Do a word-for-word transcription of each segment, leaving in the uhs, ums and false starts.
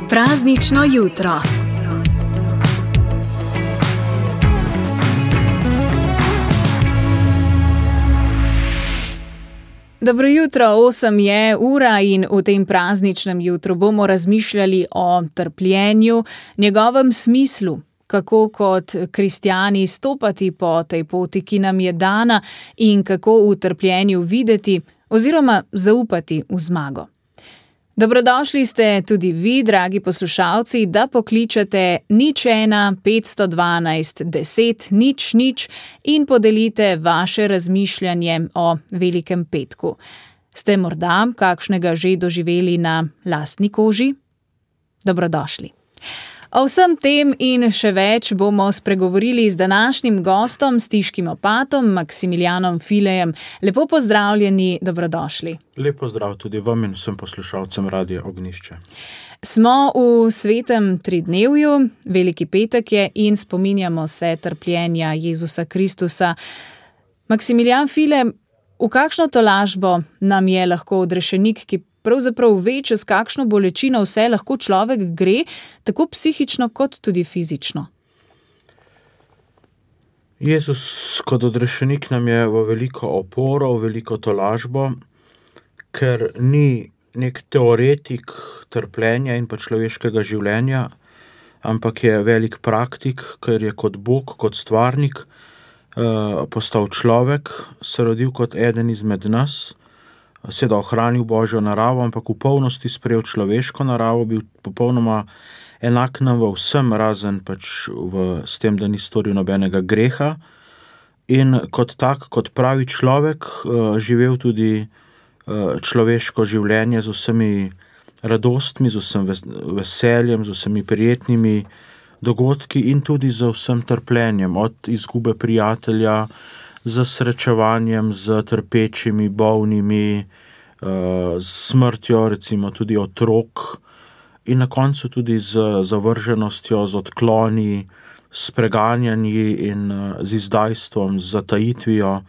Praznično jutro. Dobro jutro, osem je ura in v tem prazničnem jutru bomo razmišljali o trpljenju, njegovem smislu, kako kot kristjani stopati po tej poti, ki nam je dana, in kako v trpljenju videti oziroma zaupati v zmago. Dobrodošli ste tudi vi, dragi poslušalci, da pokličete nič ena petsto dvanajst deset nič nič in podelite vaše razmišljanje o Velikem petku. Ste morda kakšnega že doživeli na lastni koži? Dobrodošli. O vsem tem in še več bomo spregovorili z današnjim gostom, stiškim opatom, Maksimilijanom Filejem. Lepo pozdravljeni, dobrodošli. Lep pozdrav tudi vam in vsem poslušalcem Radia Ognjišče. Smo v svetem tridnevju, Veliki petek je in spominjamo se trpljenja Jezusa Kristusa. Maksimilijan File, v kakšno tolažbo nam je lahko odrešenik, ki pravzaprav ve, čez kakšno bolečino vse lahko človek gre, tako psihično kot tudi fizično? Jezus kot odrešenik nam je v veliko oporo, v veliko tolažbo, ker ni nek teoretik trpljenja in pa človeškega življenja, ampak je velik praktik, ker je kot Bog, kot stvarnik, eh, postal človek, se rodil kot eden izmed nas, seveda ohranil Božjo naravo, ampak v polnosti sprejel človeško naravo, bil popolnoma enak nam v vsem, razen pač v, s tem, da ni storil nobenega greha. In kot tak, kot pravi človek, živel tudi človeško življenje z vsemi radostmi, z vsem veseljem, z vsemi prijetnimi dogodki in tudi z vsem trpljenjem, od izgube prijatelja, z srečevanjem, z trpečimi, bolnimi, s smrtjo, recimo tudi otrok, in na koncu tudi z zavrženostjo, z odkloni, s preganjanji in z izdajstvom, z zatajitvijo,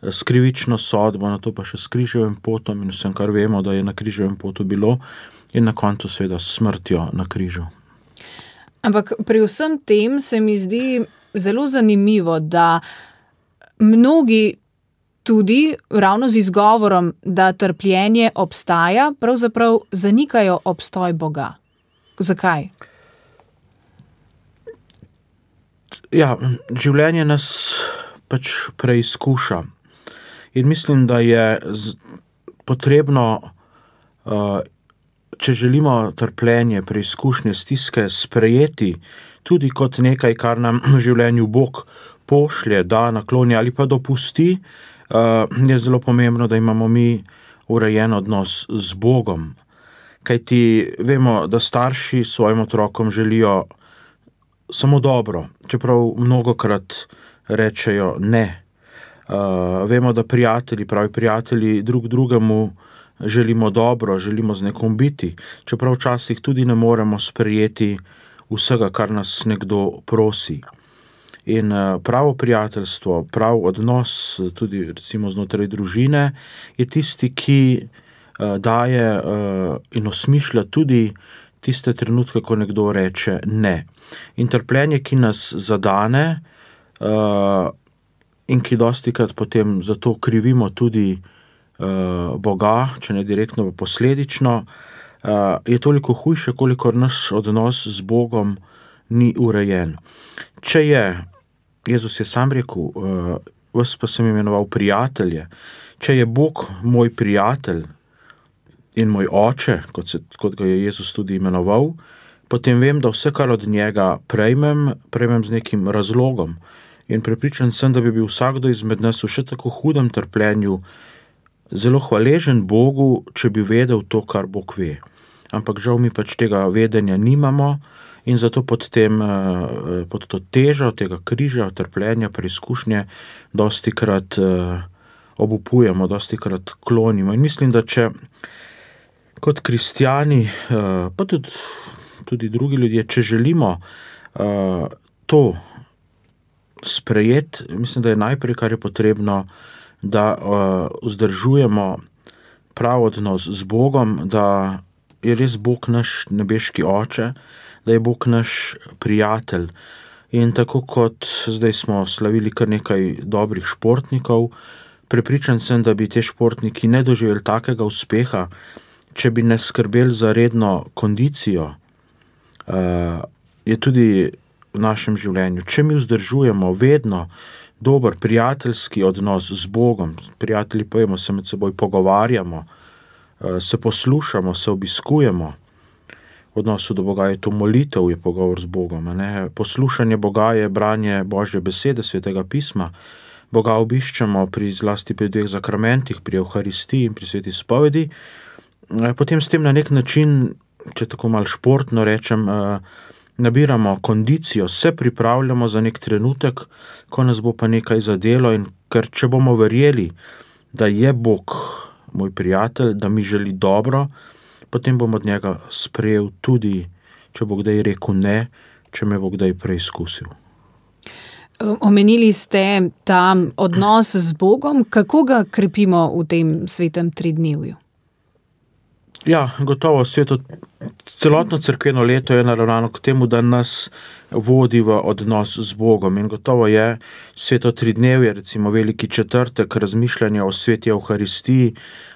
s krivično sodbo, na to pa še s križevim potom in vsem, kar vemo, da je na križevem potu bilo, in na koncu seveda s smrtjo na križu. Ampak pri vsem tem se mi zdi zelo zanimivo, da mnogi tudi ravno z izgovorom, da trpljenje obstaja, pravzaprav zanikajo obstoj Boga. Zakaj? Ja, življenje nas pač preizkuša. In mislim, da je potrebno, če želimo trpljenje, preizkušnje, stiske sprejeti tudi kot nekaj, kar nam v življenju Bog pošlje, da nakloni ali pa dopusti, je zelo pomembno, da imamo mi urejen odnos z Bogom. Kajti vemo, da starši svojim otrokom želijo samo dobro, čeprav mnogokrat rečejo ne. Vemo, da prijatelji, pravi prijatelji, drug drugemu želimo dobro, želimo z nekom biti, čeprav včasih tudi ne moremo sprejeti vsega, kar nas nekdo prosi. In pravo prijateljstvo, prav odnos, tudi recimo znotraj družine, je tisti, ki daje in osmišlja tudi tiste trenutke, ko nekdo reče ne. In trpljenje, ki nas zadane in ki dostikrat potem zato krivimo tudi Boga, če ne direktno, pa posledično, je toliko hujše, kolikor naš odnos z Bogom ni urejen. Če je, Jezus je sam rekel, vas pa sem imenoval prijatelje, če je Bog moj prijatelj in moj oče, kot, se, kot ga je Jezus tudi imenoval, potem vem, da vse, kar od njega prejmem, prejmem z nekim razlogom. In prepričan sem, da bi bil vsakdo izmed nas v še tako hudem trpljenju zelo hvaležen Bogu, če bi vedel to, kar Bog ve. Ampak žal mi pač tega vedenja nimamo, in zato pod, tem, pod to težo tega križa, trpljenja, preizkušnje dostikrat obupujemo, dostikrat klonimo. In mislim, da če kot kristjani, pa tudi, tudi drugi ljudje, če želimo to sprejeti, mislim, da je najprej, kar je potrebno, da vzdržujemo prav odnos z Bogom, da je res Bog naš nebeški oče, da je Bog naš prijatelj. In tako kot zdaj smo slavili kar nekaj dobrih športnikov, prepričan sem, da bi te športniki ne doživeli takega uspeha, če bi ne skrbeli za redno kondicijo. Uh, je tudi v našem življenju. Če mi vzdržujemo vedno dober prijateljski odnos z Bogom, prijatelji pojemo, se med seboj pogovarjamo, uh, se poslušamo, se obiskujemo, v odnosu do Boga je to molitev, je pogovor z Bogom. Ne? Poslušanje Boga je branje Božje besede, Svetega pisma. Boga obiščemo pri zlasti pri dveh zakramentih, pri Evharistiji in pri sveti spovedi. Potem s tem na nek način, če tako malo športno rečem, nabiramo kondicijo, se pripravljamo za nek trenutek, ko nas bo pa nekaj zadelo, in ker če bomo verjeli, da je Bog moj prijatelj, da mi želi dobro, potem bom od njega sprejel tudi, če bo kdaj rekel ne, če me bo kdaj preizkusil. Omenili ste ta odnos z Bogom. Kako ga krepimo v tem svetem tridnevju? Ja, gotovo, sveto, celotno cerkveno leto je naravnano k temu, da nas vodi v odnos z Bogom. In gotovo je sveto tridnevje, recimo veliki četrtek, razmišljanje o sveti Evharistiji,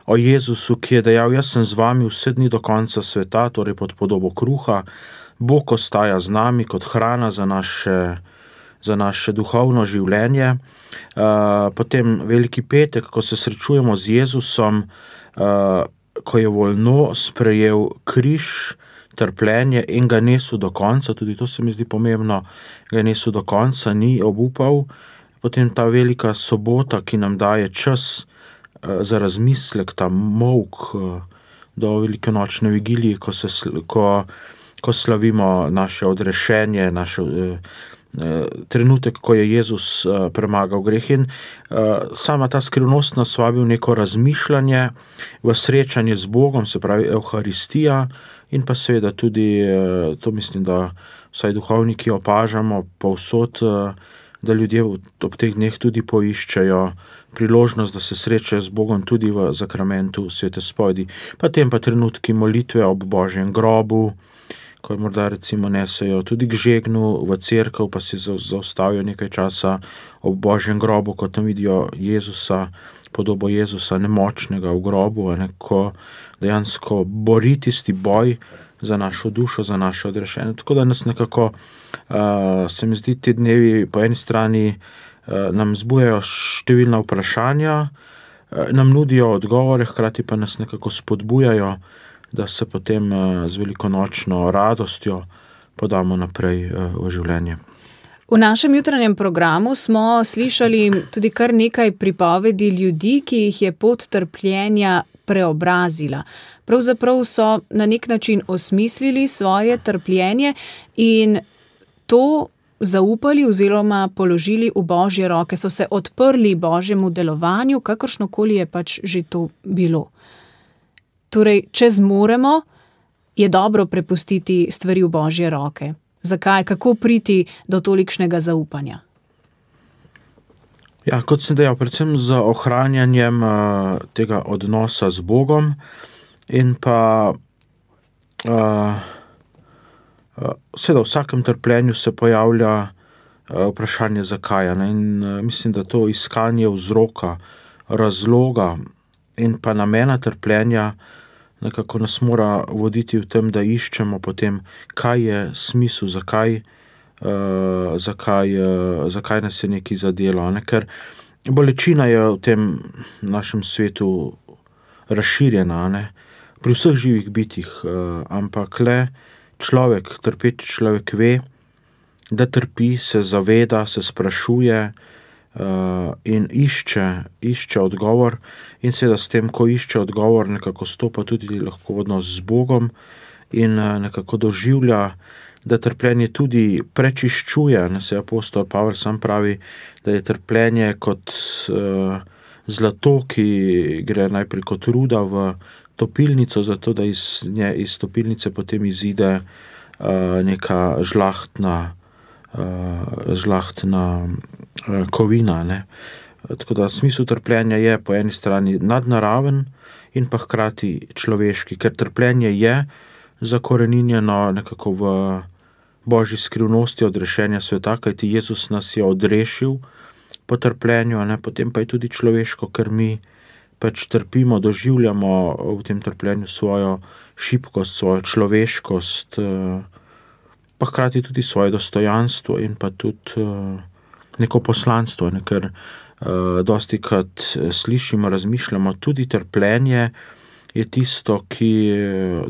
o Jezusu, ki je dejal, jaz sem z vami vse dni do konca sveta, torej pod podobo kruha. Bog ostaja z nami kot hrana za naše, za naše duhovno življenje. Uh, potem veliki petek, ko se srečujemo z Jezusom, uh, ko je voljno sprejel križ, trpljenje in ga nesel do konca, tudi to se mi zdi pomembno, ga nesel do konca, ni obupal. Potem ta velika sobota, ki nam daje čas uh, za razmislek, ta molk uh, do velikonočne vigilije, ko, se, ko, ko slavimo naše odrešenje, naše uh, trenutek, ko je Jezus uh, premagal greh. In uh, sama ta skrivnost nas vabi v neko razmišljanje, v srečanje z Bogom, se pravi Evharistija, in pa seveda tudi, uh, to mislim, da vsaj duhovniki opažamo povsod, uh, da ljudje ob teh dneh tudi poiščejo priložnost, da se srečajo z Bogom tudi v zakramentu svete spovedi. Potem pa trenutki molitve ob Božjem grobu, ko morda recimo nesejo tudi k žegnu v cerkev, pa si zaustavijo nekaj časa ob Božjem grobu, ko tam vidijo Jezusa, podobo Jezusa nemočnega v grobu, ne, ko dejansko bori tisti boj za našo dušo, za naše odrešenje. Tako da nas nekako, uh, se mi zdi, te dnevi po eni strani uh, nam zbujajo številna vprašanja, uh, nam nudijo odgovore, hkrati pa nas nekako spodbujajo, da se potem z velikonočno radostjo podamo naprej v življenje. V našem jutranjem programu smo slišali tudi kar nekaj pripovedi ljudi, ki jih je pot trpljenja preobrazila. Pravzaprav so na nek način osmislili svoje trpljenje in to zaupali oziroma položili v Božje roke, so se odprli Božjemu delovanju, kakršnokoli je pač že to bilo. Torej, če zmoremo, je dobro prepustiti stvari v Božje roke. Zakaj? Kako priti do tolikšnega zaupanja? Ja, kot sem dejal, predvsem z ohranjanjem uh, tega odnosa z Bogom in pa uh, uh, seveda v vsakem trpljenju se pojavlja uh, vprašanje zakaj. Ne? In uh, mislim, da to iskanje vzroka, razloga in pa namena trpljenja nekako nas mora voditi v tem, da iščemo potem, kaj je smisel, zakaj, uh, zakaj, uh, zakaj nas je nekaj zadelo. Ne? Ker bolečina je v tem našem svetu razširjena, ne? Pri vseh živih bitjih, uh, ampak le človek, trpeči človek ve, da trpi, se zaveda, se sprašuje, Uh, in išče, išče odgovor, in seveda s tem, ko išče odgovor, nekako stopa tudi lahko v odnos z Bogom in uh, nekako doživlja, da trpljenje tudi prečiščuje. Ne, se apostol Pavel sam pravi, da je trpljenje kot uh, zlato, ki gre najprej kot ruda v topilnico, zato da iz, nje, iz topilnice potem izide uh, neka žlahtna Uh, žlahtna uh, kovina. Ne? Tako da smisel trpljenja je po eni strani nadnaraven in pa hkrati človeški, ker trpljenje je zakoreninjeno nekako v Božji skrivnosti odrešenja sveta, kajti Jezus nas je odrešil po trpljenju, ne, potem pa je tudi človeško, ker mi pač trpimo, doživljamo v tem trpljenju svojo šibkost, svojo človeškost, pa hkrati tudi svoje dostojanstvo in pa tudi neko poslanstvo, ne, ker dosti krat slišimo, razmišljamo, tudi trpljenje je tisto, ki,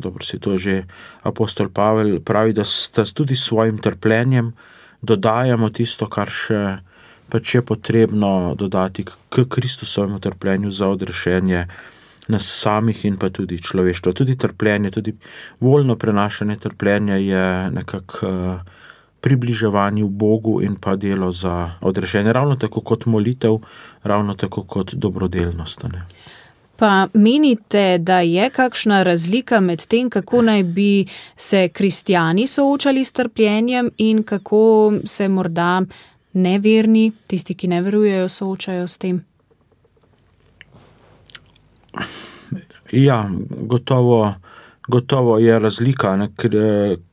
dobro si to že apostol Pavel pravi, da tudi s svojim trpljenjem dodajamo tisto, kar še pač je potrebno dodati k Kristusovemu trpljenju za odrešenje nas samih in pa tudi človeštva. Tudi trpljenje, tudi voljno prenašanje trpljenja je nekako približevanje v Bogu in pa delo za odrešenje. Ravno tako kot molitev, ravno tako kot dobrodelnost. Ne? Pa menite, da je kakšna razlika med tem, kako naj bi se kristjani soočali s trpljenjem in kako se morda neverni, tisti, ki ne verujejo, soočajo s tem? Ja, gotovo, gotovo je razlika, ne, ker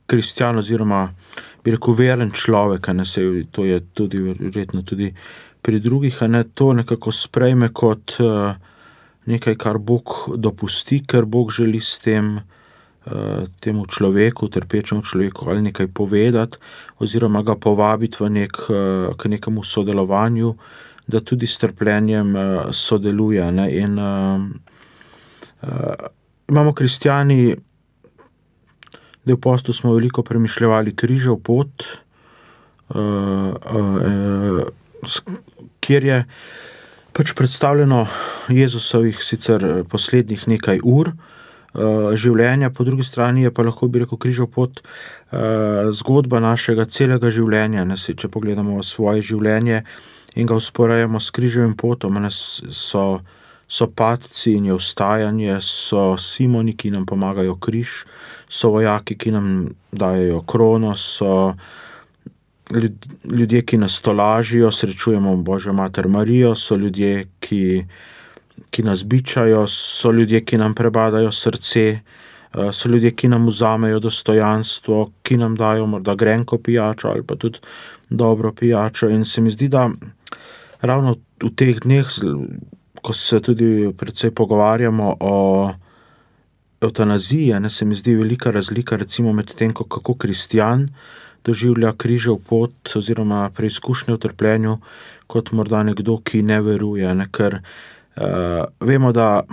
kristjan oziroma bi rekel veren človek, ne, se, to je tudi verjetno tudi pri drugih, ne, to nekako sprejme kot uh, nekaj, kar Bog dopusti, ker Bog želi s tem uh, temu človeku, trpečemu človeku ali nekaj povedati oziroma ga povabiti v nek, uh, k nekemu sodelovanju, da tudi s trpljenjem uh, sodeluje. Ne, in uh, uh, imamo kristjani, da v postu smo veliko premišljevali križev pot, uh, uh, uh, kjer je pač predstavljeno Jezusovih sicer poslednjih nekaj ur uh, življenja, po drugi strani je pa lahko bi rekel križev pot uh, zgodba našega celega življenja. Ne, če pogledamo svoje življenje in ga usporejamo s križevim potom, ne, so, so padci in je vstajanje, so Simoni, ki nam pomagajo križ, so vojaki, ki nam dajejo krono, so ljudje, ki nas tolažijo, srečujemo Božjo mater Marijo, so ljudje, ki, ki nas bičajo, so ljudje, ki nam prebadajo srce, so ljudje, ki nam vzamejo dostojanstvo, ki nam dajo morda grenko pijačo ali pa tudi dobro pijačo. In se mi zdi, da ravno v teh dneh, ko se tudi precej pogovarjamo o evtanaziji, ne, se mi zdi velika razlika recimo med tem, kako kristjan doživlja križev pot oziroma preizkušnje v trpljenju, kot morda nekdo, ki ne veruje. Ne, ker uh, vemo, da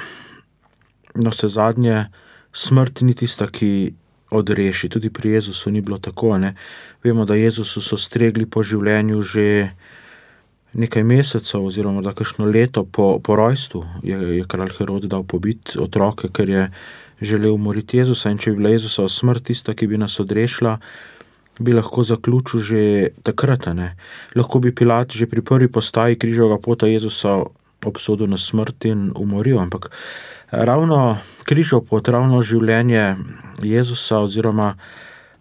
no, vse zadnje smrt ni tista, ki odreši. Tudi pri Jezusu ni bilo tako. Ne. Vemo, da Jezusu so stregli po življenju že nekaj mesecev oziroma da kakšno leto po, po rojstvu je, je kralj Herod dal pobiti otroke, ker je želel umoriti Jezusa, in če bi bila Jezusova smrt tista, ki bi nas odrešila, bi lahko zaključil že takrat. Ne. Lahko bi Pilat že pri prvi postaji križevega pota Jezusa obsodil na smrt in umoril, ampak ravno križev pot, ravno življenje Jezusa oziroma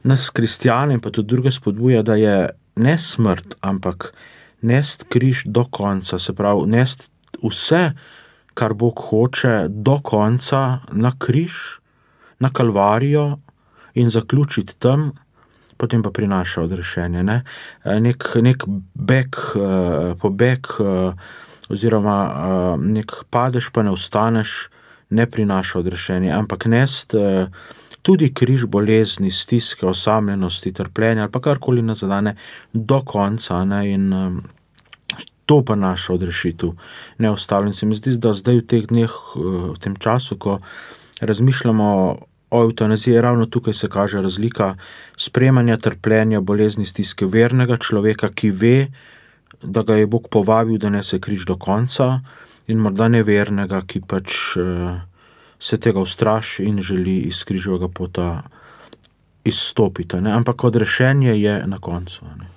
nas kristjane in pa tudi druge spodbuja, da je ne smrt, ampak nest križ do konca, se pravi nest vse, kar Bog hoče, do konca na križ, na Kalvarijo in zaključiti tam, potem pa prinaša odrešenje. Ne? Nek, nek beg, pobeg oziroma nek padeš pa ne vstaneš, ne prinaša odrešenje, ampak nest tudi križ bolezni, stiske, osamljenosti, trpljenja ali pa karkoli nas zadane do konca, ne? In to pa naša odrešitev ne ostavlja. In se mi zdi, da zdaj v teh dneh, v tem času, ko razmišljamo o evtanaziji, ravno tukaj se kaže razlika sprejemanja trpljenja, bolezni, stiske vernega človeka, ki ve, da ga je Bog povabil, da nese križ do konca, in morda nevernega, ki pač se tega ustraši in želi iz križevega pota izstopiti. Ne? Ampak odrešenje je na koncu. Ne?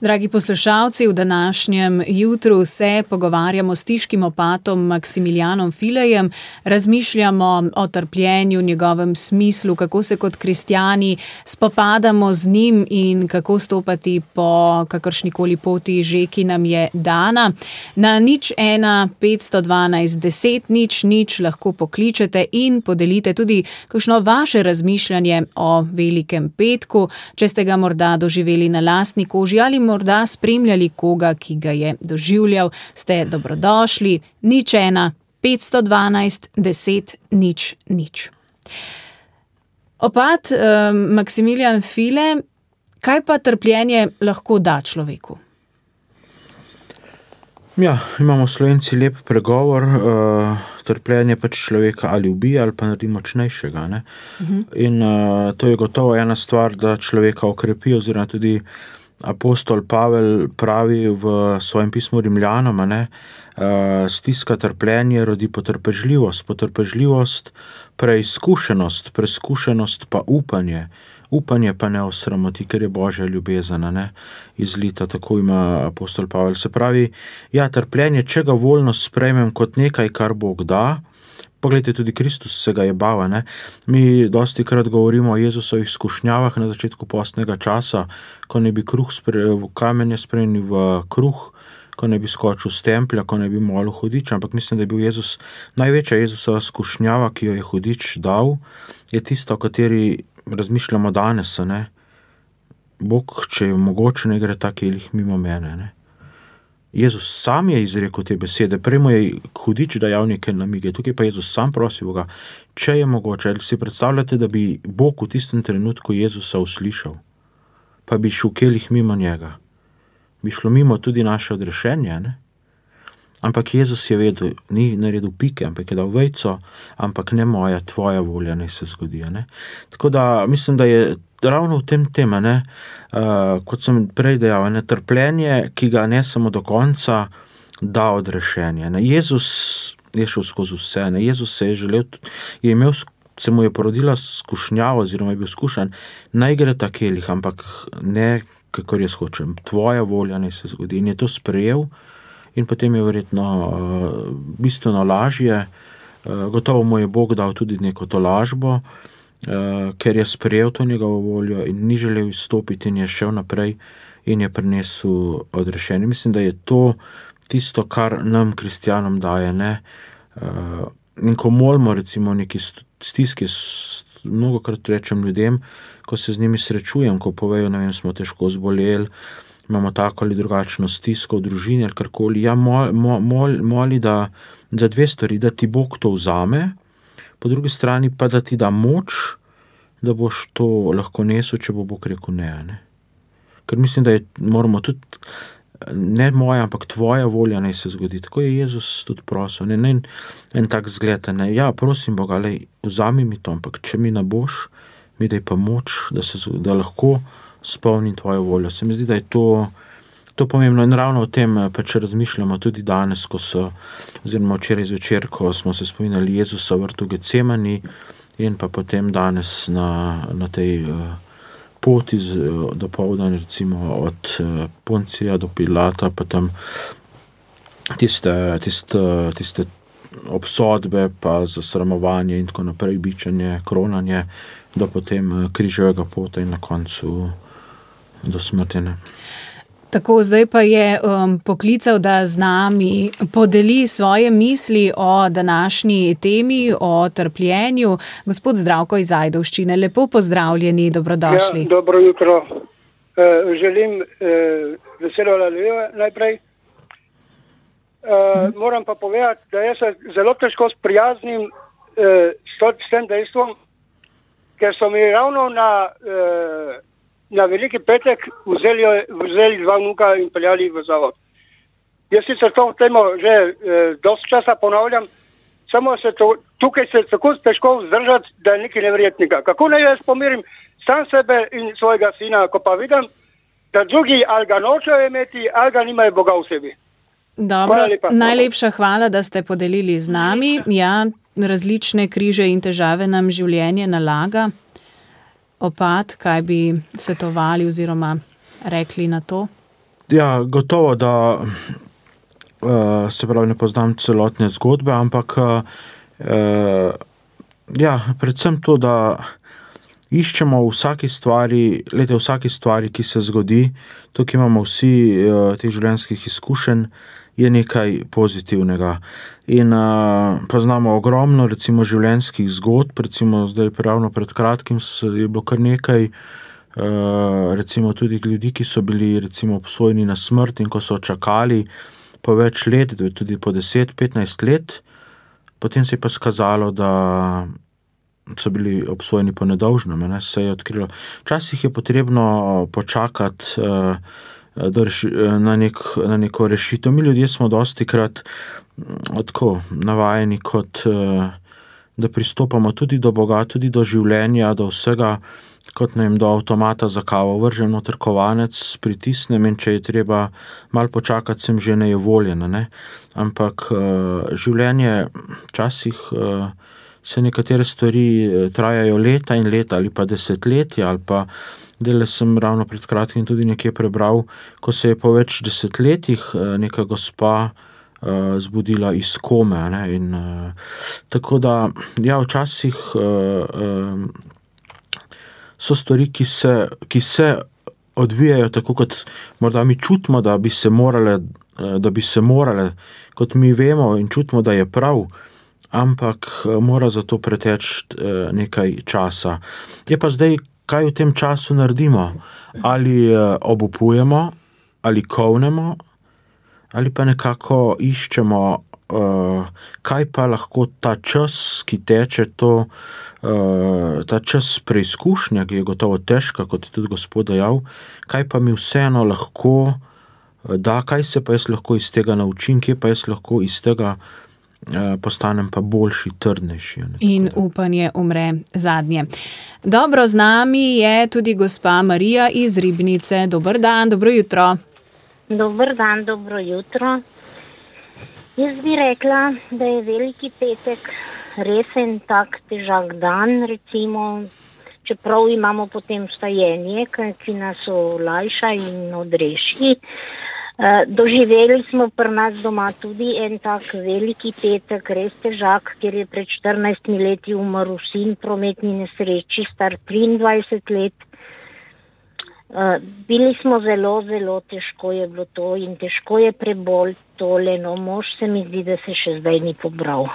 Dragi poslušalci, v današnjem jutru se pogovarjamo s stiškim opatom Maksimilijanom Filejem, razmišljamo o trpljenju, njegovem smislu, kako se kot kristjani spopadamo z njim in kako stopati po kakršnikoli poti že, ki nam je dana. Na nič ena petsto dvanajst deset nič nič lahko pokličete in podelite tudi kakšno vaše razmišljanje o velikem petku, če ste ga morda doživeli na lastni koži ali morda spremljali koga, ki ga je doživljal, ste dobrodošli. Nič ena, petsto dvanajst, deset, nič, nič. Opat, eh, Maksimilijan File, kaj pa trpljenje lahko da človeku? Ja, imamo Slovenci lep pregovor, uh, trpljenje pač človeka ali ubija ali pa naredi močnejšega. Ne? Uh-huh. In uh, to je gotovo ena stvar, da človeka okrepi, oziroma tudi apostol Pavel pravi v svojem pismu Rimljanom, ne, uh, stiska trpljenje rodi potrpežljivost, potrpežljivost preizkušenost, preizkušenost pa upanje, upanje pa ne osramoti, ker je Božja ljubezen, ne, izlita, tako ima apostol Pavel. Se pravi, ja, trpljenje, če ga voljno sprejmem kot nekaj, kar Bog da. Poglejte, tudi Kristus se ga je bava, ne. Mi dosti krat govorimo o Jezusovih skušnjavah na začetku postnega časa, ko ne bi kruh sprejel, kamenje spremenil v kruh, ko ne bi skočil s templja, ko ne bi molil hudič, ampak mislim, da je bil Jezus, največja Jezusova skušnjava, ki jo je hudič dal, je tista, o kateri razmišljamo danes, ne. Bog, če je mogoče, ne gre ta kelih mimo mene, ne. Jezus sam je izrekel te besede, prej mu je hudič dajal neke namige, tukaj pa Jezus sam prosi Boga, če je mogoče, ali si predstavljate, da bi Bog v tistem trenutku Jezusa uslišal, pa bi šel kelih mimo njega, bi šlo mimo tudi naše odrešenje, ne? Ampak Jezus je vedel, ni naredil pike, ampak je dal vejco, ampak ne moja, tvoja volja naj se zgodi, ne? Tako da mislim, da je ravno v tem tema, ne, uh, kot sem prej dejal, ne, trpljenje, ki ga ne samo do konca, da odrešenje, ne. Jezus je šel skozi vse, ne. Jezus se je želel, je imel, se mu je porodila skušnjava, oziroma je bil skušan, naj gre ta kelih, ampak ne, kakor jaz hočem, tvoja volja naj se zgodi, in je to sprejel. In potem je verjetno uh, bistveno lažje, uh, gotovo mu je Bog dal tudi neko tolažbo, uh, ker je sprejel to njegovo voljo in ni želel izstopiti in je šel naprej in je prinesel odrešenje. Mislim, da je to tisto, kar nam, kristjanom, daje, ne. Uh, in ko molimo recimo neki stiski, mnogokrat rečem ljudem, ko se z njimi srečujem, ko povejo, ne vem, smo težko zboleli, imamo tako ali drugačno stisko v družini ali karkoli, ja, mol, mol, moli, da za dve stvari, da ti Bog to vzame, po drugi strani pa, da ti da moč, da boš to lahko nesel, če bo Bog rekel ne, ne. Ker mislim, da je, moramo tudi, ne moja, ampak tvoja volja naj se zgodi. Tako je Jezus tudi prosil, ne, ne, en tak zgled, ne, ja, prosim Boga, lej, vzami mi to, ampak če mi ne boš, mi daj pa moč, da, se, da lahko spolnim tvojo voljo. Se mi zdi, da je to, to pomembno in ravno o tem pač razmišljamo tudi danes, ko so, oziroma včeraj zvečer, ko smo se spominjali Jezusa v vrtu Getsemani in pa potem danes na, na tej uh, poti z, uh, do povdan, recimo od uh, Poncija do Pilata, pa tam tiste, tiste, tiste obsodbe, pa zasramovanje in tako naprej, bičanje, kronanje, do potem uh, križevega pota in na koncu do smrtine. Tako, zdaj pa je um, poklical, da z nami podeli svoje misli o današnji temi, o trpljenju. Gospod Zdravko iz Ajdovščine, lepo pozdravljeni, dobrodošli. Ja, dobro jutro. Uh, želim uh, veselo Halelujo najprej. Uh, hmm. Moram pa povedati, da jaz se zelo težko sprijaznim uh, s, to, s tem dejstvom, ker so mi ravno na uh, na veliki petek vzeli, vzeli dva vnuka in peljali v zavod. Jaz sicer to temo že eh, dosti časa ponavljam, samo se to, tukaj se tako težko vzdržati, da je nekaj neverjetnega. Kako naj jaz pomirim sam sebe in svojega sina, ko pa vidim, da drugi ali ga nočejo imeti, ali ga nimajo Boga v sebi. Dobro, hvala najlepša hvala, da ste podelili z nami. Ja, različne križe in težave nam življenje nalaga. Opat, kaj bi svetovali oziroma rekli na to? Ja, gotovo, da uh, se pravi, ne poznam celotne zgodbe, ampak uh, ja, predvsem to, da iščemo v vsaki stvari, lejte, v vsaki stvari, ki se zgodi, tukaj imamo vsi uh, teh življenjskih izkušenj, je nekaj pozitivnega. In uh, poznamo ogromno, recimo, življenjskih zgodb, recimo zdaj ravno pred kratkim je bilo kar nekaj, uh, recimo tudi ljudi, ki so bili recimo obsojeni na smrt in ko so čakali po več let, tudi po deset, petnajst let, potem se je pa skazalo, da so bili obsojeni po nedolžnem, ne, se je odkrilo. Včasih je potrebno počakati uh, Na, nek, na neko rešitev. Mi ljudje smo dostikrat tako navajeni, kot da pristopamo tudi do Boga, tudi do življenja, do vsega, kot ne vem, do avtomata za kavo, vržem noter kovanec, pritisnem in če je treba malo počakati, sem že nejevoljen, ne. Ampak življenje včasih se nekatere stvari trajajo leta in leta ali pa desetletja ali pa Dele sem ravno pred kratkim tudi nekje prebral, ko se je po več desetletjih neka gospa uh, zbudila iz kome. Ne? In, uh, tako da, ja, včasih uh, um, so stvari, ki se, ki se odvijajo tako, kot morda mi čutimo, da bi se morale, uh, da bi se morale, kot mi vemo in čutimo, da je prav, ampak uh, mora za to preteči uh, nekaj časa. Je pa zdaj, kaj v tem času naredimo? Ali obupujemo, ali kovnemo, ali pa nekako iščemo, kaj pa lahko ta čas, ki teče, to, ta čas preizkušnja, ki je gotovo težka, kot je tudi Gospod dejal, kaj pa mi vseeno lahko da, kaj se pa jaz lahko iz tega naučim, kje pa jaz lahko iz tega postanem pa boljši, trdnejši. In upanje umre zadnje. Dobro, z nami je tudi gospa Marija iz Ribnice. Dober dan, dobro jutro. Dober dan, dobro jutro. Jaz bi rekla, da je Veliki petek res en tak težak dan, recimo, čeprav imamo potem vstajenje, ki nas olajša in odreši. Uh, doživeli smo pri nas doma tudi en tak Veliki petek, res težak, ker je pred štirinajstimi leti umrl sin v prometni nesreči, star triindvajset let. Uh, bili smo zelo, zelo težko je bilo to in težko je prebolj tole, no mož se mi zdi, da se še zdaj ni pobral.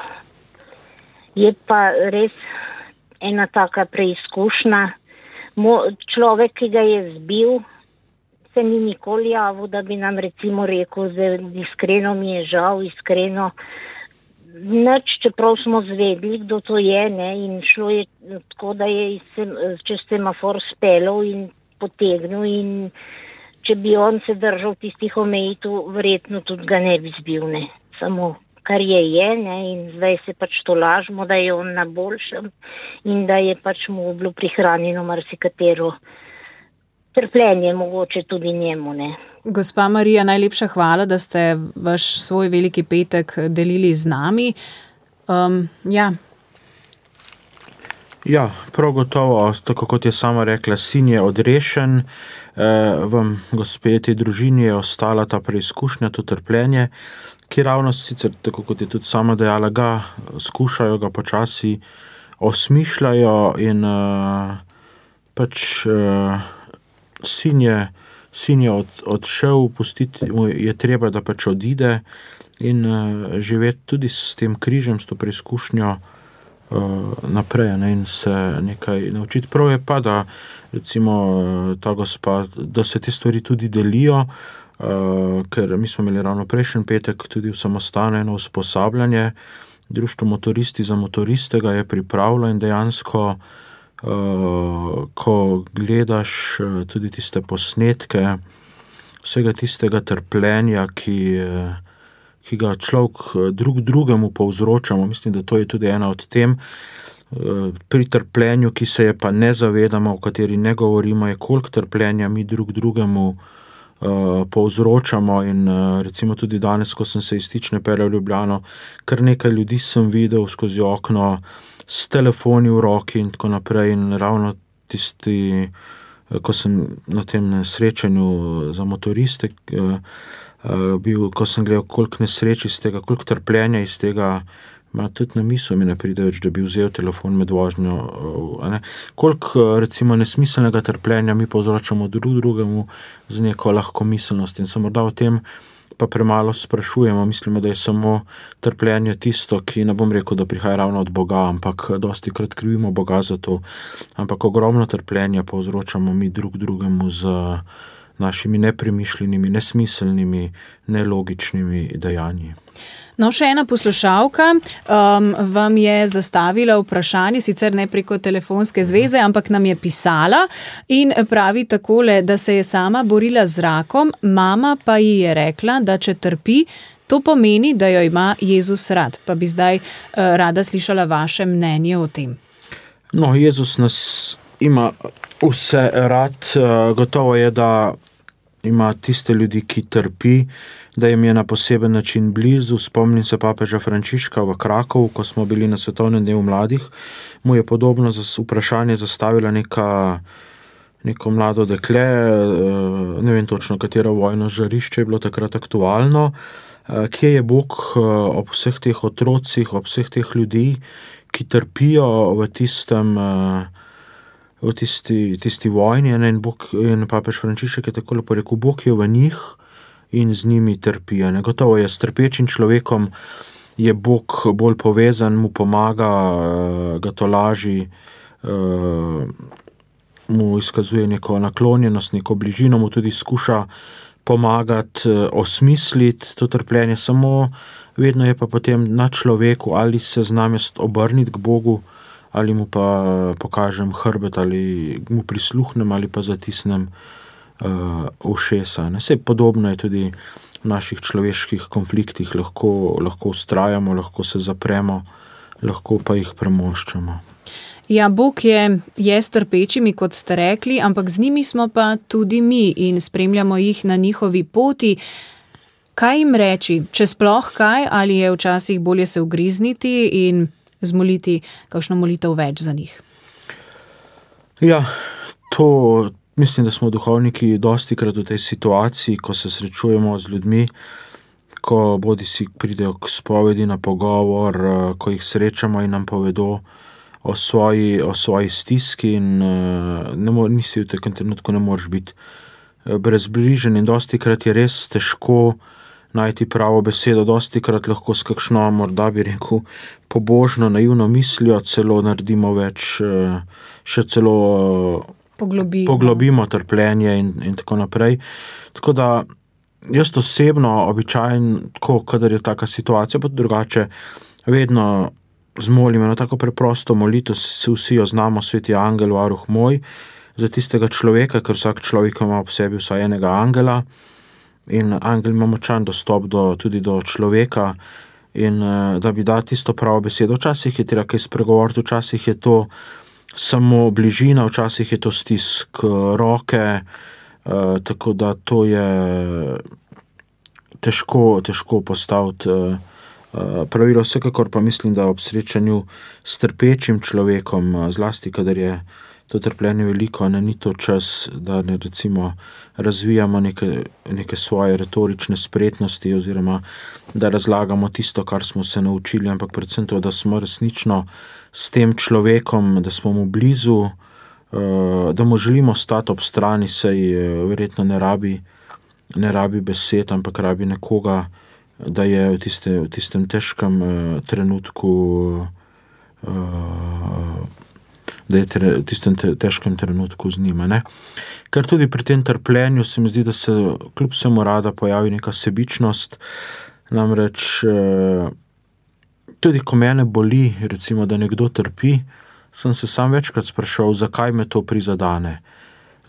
Je pa res ena taka preizkušnja. Mo- človek, ki ga je zbil, se ni nikoli javil, da bi nam recimo rekel, da iskreno mi je žal, iskreno nič, čeprav smo zvedli, kdo to je, ne, in šlo je tako, da je čez semafor speljal in potegnil in če bi on se držal tistih omejitev, verjetno tudi ga ne bi zbil, ne, samo kar je je, ne, in zdaj se pač to lažemo, da je on na boljšem in da je pač mu bilo prihranjeno marsikatero trpljenje mogoče tudi njemu, ne. Gospa Marija, najlepša hvala, da ste vaš svoj Veliki petek delili z nami. Um, ja. Ja, prav gotovo, tako kot je sama rekla, sin je odrešen, eh, vam, gospe, tej družini je ostala ta preizkušnja, to trpljenje, ki ravno sicer, tako kot je tudi sama dejala, ga skušajo, ga počasi osmišljajo in eh, pač eh, Sin je, sin je od, odšel, pustiti mu je treba, da pač odide in uh, živeti tudi s tem križem, s to preizkušnjo uh, naprej, ne, in se nekaj naučiti. Prav je pa, da recimo ta gospa, da se te stvari tudi delijo, uh, ker mi smo imeli ravno prejšnji petek tudi v samostanu eno usposabljanje, Društvo motoristi za motoriste ga je pripravilo in dejansko Uh, ko gledaš uh, tudi tiste posnetke vsega tistega trpljenja, ki, uh, ki ga človek drug drugemu povzročamo, mislim, da to je tudi ena od tem, uh, pri trpljenju, ki se je pa ne zavedamo, o kateri ne govorimo, je koliko trpljenja mi drug drugemu uh, povzročamo in uh, recimo tudi danes, ko sem se iz Stične peljal v Ljubljano, kar nekaj ljudi sem videl skozi okno, s telefoni v roki in tako naprej in ravno tisti ko sem na tem srečanju za motoriste bil, ko sem gledal, koliko nesreč iz tega, koliko trpljenja iz tega, ma tudi na misel mi ne pride več, da bi vzel telefon med vožnjo, ne. Koliko recimo nesmiselnega trpljenja mi povzročamo drug drugemu z neko lahkomiselnost in se morda o tem pa premalo sprašujemo, mislimo, da je samo trpljenje tisto, ki ne bom rekel, da prihaja ravno od Boga, ampak dosti krat krivimo Boga za to, ampak ogromno trpljenja povzročamo mi drug drugemu z našimi nepremišljenimi, nesmiselnimi, nelogičnimi dejanji. No, še ena poslušalka um, vam je zastavila vprašanje, sicer ne preko telefonske zveze, ampak nam je pisala in pravi takole, da se je sama borila z rakom, mama pa ji je rekla, da če trpi, to pomeni, da jo ima Jezus rad. Pa bi zdaj uh, rada slišala vaše mnenje o tem. No, Jezus nas ima vse rad, uh, gotovo je, da ima tiste ljudi, ki trpi, da jim je na poseben način blizu. Spomnim se papeža Frančiška v Krakovu, ko smo bili na svetovnem dnevu mladih, mu je podobno vprašanje zastavila neka, neko mlado dekle, ne vem točno, katero vojno žarišče je bilo takrat aktualno, kje je Bog ob vseh teh otrocih, ob vseh teh ljudi, ki trpijo v tistem v tisti, tisti vojni, ne, in, Bog, in papež Frančišek je takole porekel, Bog je v njih in z njimi trpi. Ne. Gotovo je s trpečim človekom je Bog bolj povezan, mu pomaga, ga tolaži, mu izkazuje neko naklonjenost, neko bližino, mu tudi skuša pomagati, osmisliti to trpljenje, samo vedno je pa potem na človeku, ali se znam jaz obrniti k Bogu, ali mu pa pokažem hrbet, ali mu prisluhnem, ali pa zatisnem uh, ušesa. Ne? Sej podobno je tudi v naših človeških konfliktih, lahko, lahko ustrajamo, lahko se zapremo, lahko pa jih premoščamo. Ja, Bog je, je s trpečimi, kot ste rekli, ampak z njimi smo pa tudi mi in spremljamo jih na njihovi poti. Kaj jim reči, če sploh kaj, ali je včasih bolje se ugrizniti in zmoliti kakšno molitev več za njih? Ja, to mislim, da smo duhovniki dosti krat v tej situaciji, ko se srečujemo z ljudmi, ko bodi si pridejo k spovedi na pogovor, ko jih srečamo in nam povedo o svoji, o svoji stiski in ne mo, nisi v takem trenutku ne moreš biti brezbrižen in dosti krat je res težko najti pravo besedo, dosti krat lahko s kakšno, morda bi rekel, pobožno, naivno mislijo, celo naredimo več, še celo poglobimo, poglobimo trpljenje in, in tako naprej. Tako da jaz osebno običajno, ko, kadar je taka situacija, pa drugače, vedno zmolim eno tako preprosto molitev, se vsi jo znamo, sveti angel, varuh moj, za tistega človeka, ker vsak človek ima ob sebi vsaj enega angela, in angel ima močan dostop do, tudi do človeka in da bi da tisto pravo besedo. Včasih je treba kaj spregovoriti, včasih je to samo bližina, včasih je to stisk roke, uh, tako da to je težko, težko postaviti uh, pravilo. Vsekakor pa mislim, da ob srečanju s trpečim človekom, zlasti kadar je to trpljenje veliko, ne, ni to čas, da ne recimo razvijamo neke, neke svoje retorične spretnosti oziroma da razlagamo tisto, kar smo se naučili, ampak predvsem to, da smo resnično s tem človekom, da smo mu blizu, da mu želimo stati ob strani, saj verjetno ne rabi, ne rabi besed, ampak rabi nekoga, da je v, tiste, v tistem težkem trenutku da je v tistem težkem trenutku z njima. Ne? Ker tudi pri tem trpljenju se mi zdi, da se kljub vsemu rada pojavi neka sebičnost, namreč tudi ko mene boli, recimo, da nekdo trpi, sem se sam večkrat sprašal, zakaj me to prizadane.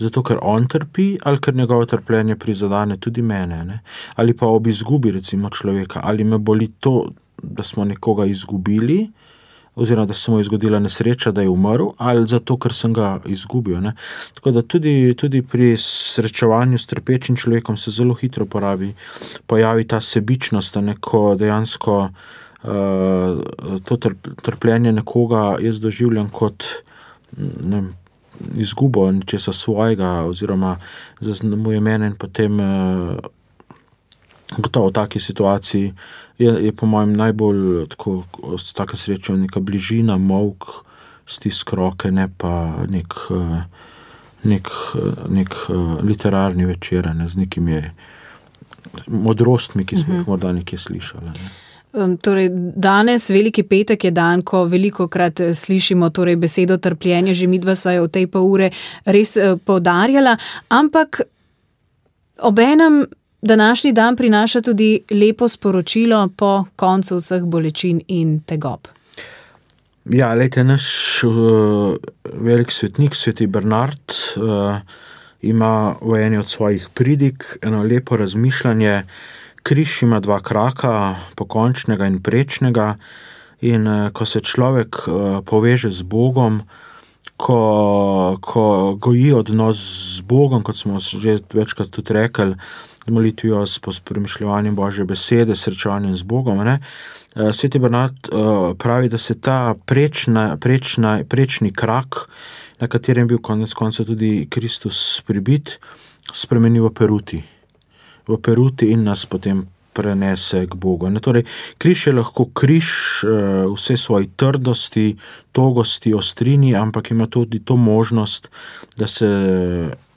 Zato, ker on trpi, ali ker njegovo trpljenje prizadane tudi mene. Ne? Ali pa ob izgubi, recimo, človeka, ali me boli to, da smo nekoga izgubili, oziroma da se mu je zgodila nesreča, da je umrl, ali zato, ker sem ga izgubil. Ne? Tako da tudi, tudi pri srečevanju s trpečim človekom se zelo hitro porabi, pojavi ta sebičnost, da neko dejansko uh, to trp, trpljenje nekoga jaz doživljam kot ne, izgubo nečesa svojega oziroma zaznamuje mene in potem gotovo v taki situaciji je, je po mojem najbolj tako, s takem srečo neka bližina, molk, stisk roke, ne pa nek, nek, nek literarni večer, ne, z nekimi modrostmi, ki smo jih morda nekje slišali. Ne. Um, torej, danes, Veliki petek, je dan, ko velikokrat slišimo torej besedo trpljenje, že midva sva jo v tej pol ure res uh, poudarjala, ampak obenem današnji dan prinaša tudi lepo sporočilo po koncu vseh bolečin in tegob. Ja, lejte, naš uh, velik svetnik, sveti Bernard, uh, ima v eni od svojih pridig eno lepo razmišljanje. Križ ima dva kraka, pokončnega in prečnega, in ko se človek poveže z Bogom, ko, ko goji odnos z Bogom, kot smo že večkrat tudi rekli, molitvijo s premišljevanjem Božje besede, srečevanjem z Bogom, ne? Sveti Bernard pravi, da se ta prečna, prečna, prečni krak, na katerem je bil konec konca tudi Kristus pribit, spremeni v peruti. v peruti in nas potem prenese k Bogu. Ne, torej, križ je lahko križ vse svoje trdosti, togosti, ostrini, ampak ima tudi to možnost, da se,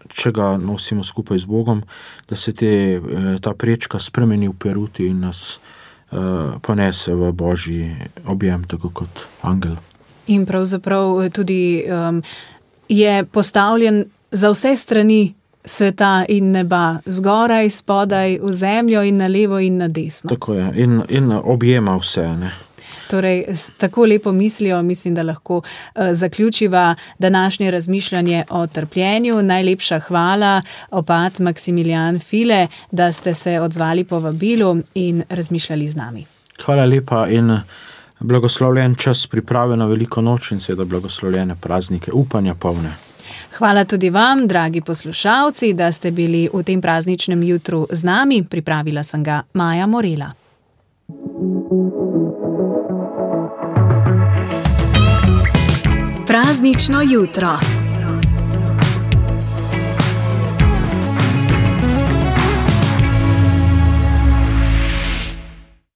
če ga nosimo skupaj z Bogom, da se te, ta prečka spremeni v peruti in nas uh, ponese v Božji objem, tako kot angel. In pravzaprav tudi um, je postavljen za vse strani sveta in neba, zgoraj, spodaj, v zemljo in na levo in na desno. Tako je, in, in objema vse, ne. Torej, s tako lepo mislijo, mislim, da lahko uh, zaključiva današnje razmišljanje o trpljenju. Najlepša hvala, opat Maksimilijan File, da ste se odzvali po vabilu in razmišljali z nami. Hvala lepa in blagoslovljen čas priprave na veliko noč in seveda blagoslovljene praznike, upanja polne. Hvala tudi vam, dragi poslušalci, da ste bili v tem prazničnem jutru z nami. Pripravila sem ga Maja Morela. Praznično jutro.